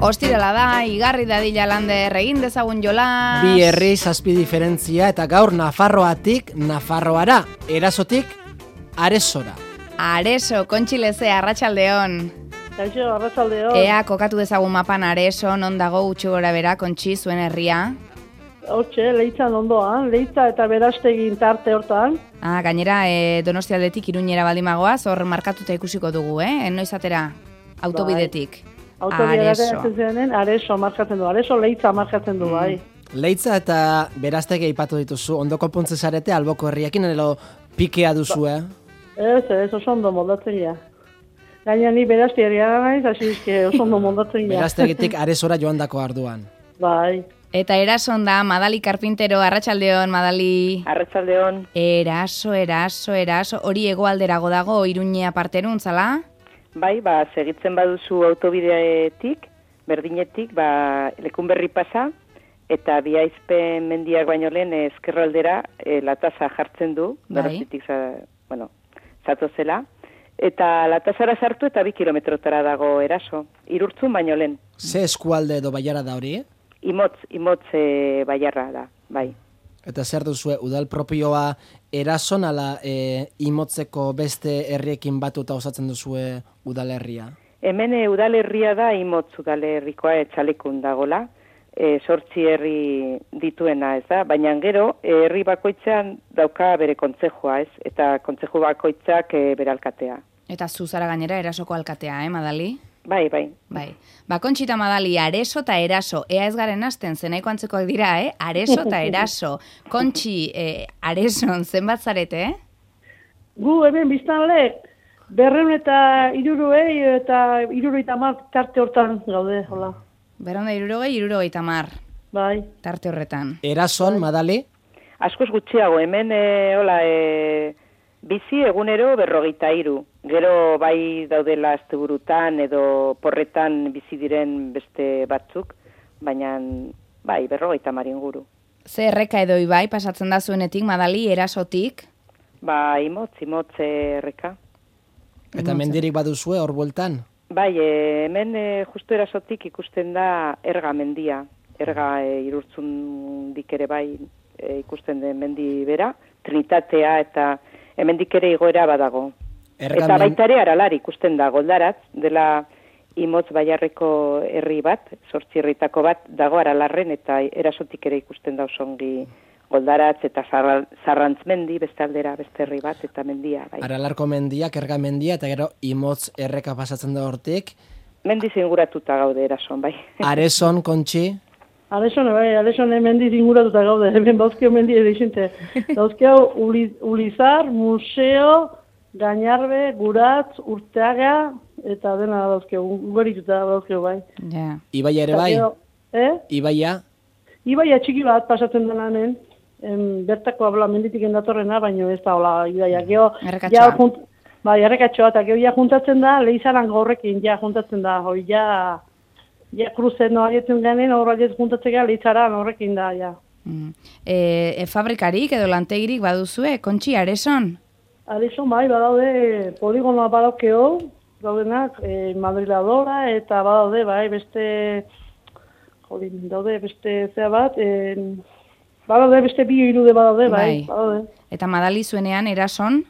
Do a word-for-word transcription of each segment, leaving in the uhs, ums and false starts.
Ostirala da, igarri dadila lander, egin dezagun jolas. Bi herri zazpi diferentzia eta gaur Nafarroatik Nafarroara, erasotik Aresora. Areso, Kontxileze, arratsaldeon. Kaixo, arratsaldeon. Ea, kokatu dezagun mapan Areso, non dago gutxi gora bera, Kontxi, zuen herria. Hortxe, Leitzan ondoan, Leitza eta Berastegin tarte hortan. Ah, gainera, e, Donostialdetik Iruñera baldimagoaz, hor markatuta ikusiko dugu, eh? Noiz atera, autobidetik. Autobidetik zenen, Areso markatzen du, Areso Leitza markatzen du, bai. Leitza eta Berastegi aipatu dituzu, ondo konpontzen zarete alboko herriakin, edo pikea duzu, eh? Ez, ez, oso ondo moldatzen ja. Gaina ni Berastegi naiz, hasi izke oso ondo moldatzen ja. Berastegitik Aresora joan dako arduan. Bai. Eta erason da, Madali Karpintero, arratsaldeon, Madali. Arratsaldeon. Eraso, eraso, eraso, hori hegoalderago dago, Iruñea parterun, zala? Bai, ba, segitzen baduzu autobideetik, berdinetik, ba, Lekunberri pasa, eta Biaizpen mendiak baino lehen ezkerraldera e, latasa jartzen du, Donostitik, bueno, zatozela, eta latasara sartu eta bi kilometrotara dago eraso, Irurtzun baino lehen. Ze eskualde edo baiara da hori, eh? Imotz, imotz e, baiarra da, bai. Eta zer duzue, udal propioa erason, ala e, imotzeko beste herriekin batuta osatzen duzue udalerria? Hemen e, udalerria da imotz udalerrikoa etxalekun dagola, e, sortzi herri dituena, ez da? Baina gero, e, herri bakoitzean dauka bere kontzejua, ez? Eta kontzeju bakoitzak e, bere alkatea. Eta zuzara gainera erasoko alkatea, eh, Madali? Bai, bai. Bai. Ba, Kontxita Madali, Areso eta Eraso. Ea ez garen hasten, zenaiko antzekoak dira, eh? Areso eta Eraso. Kontxi, eh, Areson, zenbat zarete, eh? Gu, hemen biztanle, berreun eta iruruei eta iruroi tamar tarte hortan gaude, hola. Berreun da irurogei, irurogei tamar. Bai. Tarte horretan. Erason, Madali? Askoz gutxiago, hemen, e, hola, e, bizi egunero berrogeita hiru. Gero bai daudela asteburutan edo porretan bizi diren beste batzuk, baina bai berrogeita hamar inguru. Ze erreka edo ibai pasatzen da zuenetik, Madali, Erasotik? Ba, imotz, imotz erreka. Eta mendirik baduzue hor bueltan? Bai, e, hemen e, justu Erasotik ikusten da Erga mendia. Erga e, Irurtzundik ere bai e, ikusten den mendi bera, Trinitatea eta hemendik ere igoera badago. Ergamen... Eta baita ere Aralar ikusten da, Goldaratz, dela imotz baiarreko herri bat, zortzi herritako bat, dago Aralarren, eta Erasotik ere ikusten da osongi Goldaratz eta Zarrantzmendi, beste aldera, beste herri bat, eta mendia. Bai. Aralarko mendiak, Erga mendia, eta gero imotz erreka pasatzen da hortik. Mendiz inguratuta gaude Erason, bai. Areson, Kontxi? Areson, bai, Areson mendiz inguratuta gaude, hemen dauzkeo mendi edo izinte. Dauzkeo Ulizar, Museo, Gainarbe, Guratz, Urteaga, eta dena dauzkeu, ugarituta dauzkeu, bai. Ja. Ibaia ere bai? Eh? Ibaia? Ibaia txiki bat pasatzen denanen, bertako abla menditik endatorrena, baina ez da, hola, ibaia. Geo, errekatxoa. Ja, junt, bai, errekatxoa, eta gero ja juntatzen da, Leizaran gaurrekin, ja juntatzen da, hoi, ja, ja kruzen no aietzen ganen, horra aietzen juntatzen gara, Leizaran horrekin da, ja. Mm. E, e, fabrikarik edo lantegirik baduzue, Kontxi, Areson? Areson, bai, badaude, poligonoa badaukeo, daudenak, e, madriladora, eta badaude, bai, beste, jodin, daude, beste zea bat, e, badaude, beste bi irude badaude, bai, bai. Badaude. Eta Madali zuenean, Erason?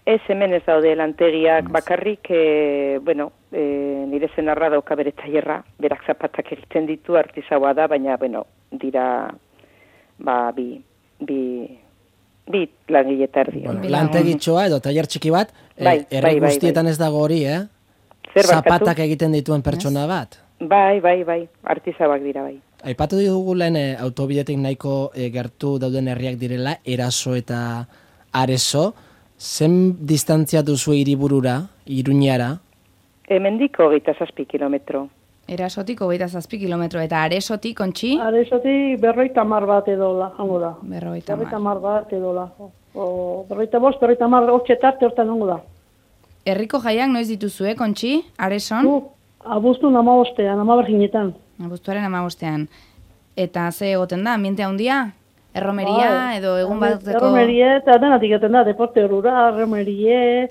Ez, hemen ez daude lantegiak bakarrik, e, bueno, e, nire zenarra dauka bere tailerra, berak zapatak egiten ditu, artisaua da, baina, bueno, dira, ba, bi, bi, bi langile eta erdi. Bueno, lantegitxoa edo tailer txiki bat, bai, e, herri bai, guztietan bai, bai. ez dago hori, eh? Zer zapatak egiten dituen pertsona bat. Bai, bai, bai, artisauak dira, bai. Aipatu dugu lehen e, autobidetik nahiko e, gertu dauden herriak direla, Eraso eta Areso. Zen distantzia duzu hiriburura, Iruñara? Hemendik hogeita zazpi kilometro. Erasotik hogeita zazpi kilometro, eta Aresotik, Kontxi? Aresotik berroita mar bat edola, hango da. Berroita mar. Berroita mar bat edola. O, berroita bost, berroita mar hortxetarte hortan hango da. Herriko jaiak noiz dituzue, Kontxi? Areson? Du, abuztun amabostean, amaberginetan. Abuztuaren amabostean. Eta ze egoten da, ambiente handia? Erromeria Ba, edo egun bateko... Erromerie, eta denatik eten da, deporte horura, erromerie,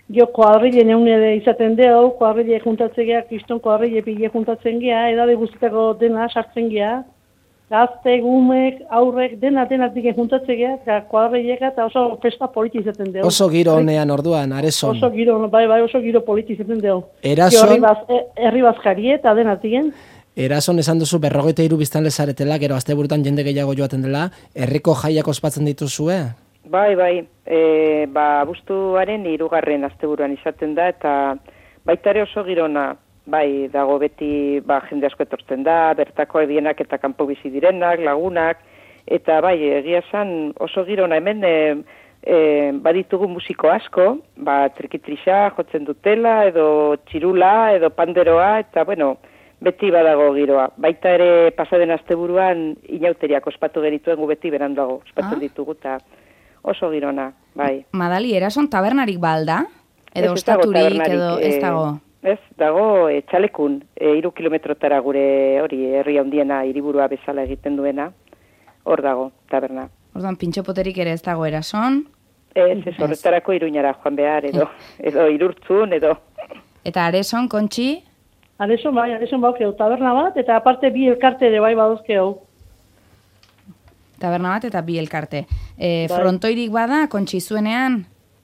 Jo, koadrilen egun ere izaten deu, koadrile juntatzen geha, kriston koadrile pile juntatzen geha, edade guztietako dena sartzen geha, gazte, gumek, aurrek, dena denak diken juntatzen geha, eta koadrilek eta oso festa politi izaten deu. Oso giro honean orduan, Areson. Oso giro, bai, bai, oso giro politi izaten deu. Erason... Herri baz, herri bazkari eta denak diken. Erason esan duzu berrogeita hiru biztanle zaretela, gero asteburutan jende gehiago joaten dela, herriko jaiak ospatzen dituzue? Bai, bai, e, ba, abuztuaren hirugarren asteburuan izaten da, eta baita ere oso girona, bai, dago beti ba, jende asko etortzen da, bertako ebienak eta kanpo bizi direnak, lagunak, eta bai, egia esan oso girona hemen e, e, baditugu musiko asko, ba, trikitrixa jotzen dutela, edo txirula, edo panderoa, eta bueno, beti badago giroa. Baita ere pasaden asteburuan inauteriak ospatu gerituen gu beti beranduago, ospatzen ah? ditugu, eta oso girona, bai. Madali, Erason tabernarik balda? Edo ostaturik, edo ez dago? Ez, dago e, txalekun, e, iru kilometrotara gure hori herri handiena hiriburua bezala egiten duena, hor dago, taberna. Orduan, pintxopoterik ere ez dago Erason? Ez, ez, horretarako Iruñara joan behar, edo, edo Irurtzun, edo... Eta Areson, Kontxi? Areson bai, Areson baukeu, taberna bat, eta aparte bi elkarte ere bai baduzkeu. Taberna bat eta bi elkarte. E, frontoirik bada, Kontxi zuenean?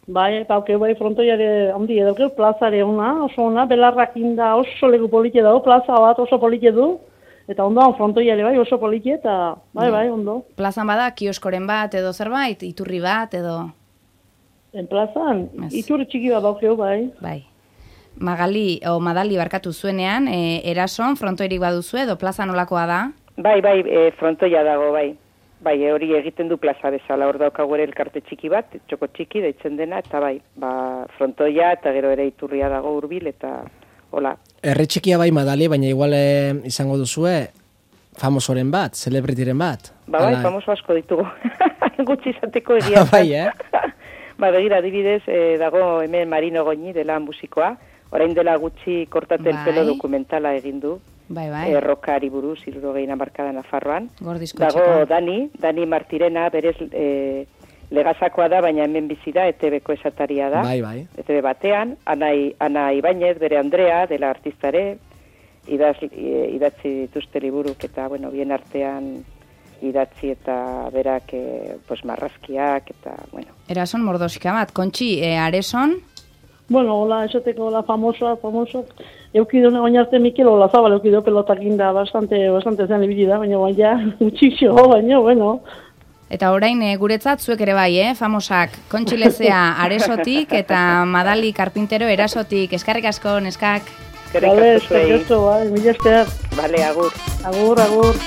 Bai, baukeu bai frontoiare handi edokeu, plazare ona, oso ona, belarrak inda oso leku polite dago, plaza bat oso polite du, eta ondoan frontoiare bai oso polite, eta bai, bai, ondo. Plazan bada, kioskoren bat edo zerbait, iturri bat edo... En plazan, yes. Iturri txiki bat daukeu, bai. Bai. Magali, o Madali barkatu zuenean, e, Erason, frontoirik baduzu edo plaza nolakoa da? Bai, bai, e, frontoia dago, bai. Bai, hori egiten du plaza bezala, hor daukagu ere elkarte txiki bat, txoko txiki deitzen dena, eta bai, ba, frontoia eta gero ere iturria dago hurbil eta hola. Herri txikia bai, Madali, baina igual eh, izango duzue famosoren bat, celebrityren bat. Ba, bai, Ala... famoso asko ditugu. Gutxi izateko egia. Bai, eh? Ba, begira, adibidez, eh, dago hemen Marino Goñi dela musikoa, orain dela gutxi kortaten bai. Pelo dokumentala egin du. Bai, bai. Errokari buruz, hirurogeina markada Nafarroan. Gordizko dago txeko. Dani, Dani Martirena, berez e, legazakoa da, baina hemen bizi da, E T B-ko esataria da. Bai, bai. E T B batean, Ana, Ana Ibañez, bere Andrea, dela artistare, idaz, idatzi dituzte liburuk, eta, bueno, bien artean idatzi eta berak, e, pues, marrazkiak, eta, bueno. Erason mordoska bat, Kontxi, e, Areson... Bueno, hola, esateko, hola, famosoa, famoso. Eukido oin arte Mikel hola zabal, eukido pelotakin da, bastante, bastante zen ibili da, baina baina, utxixo, baina, bueno. Eta orain e, guretzat zuek ere bai, eh, famosak, Kontxi Lezea Aresotik eta Madali Karpintero Erasotik. Eskerrik asko, neskak. Eskerrik asko zuei. Eskerrik asko, bai, mila esker. Bale, agur. Agur, agur.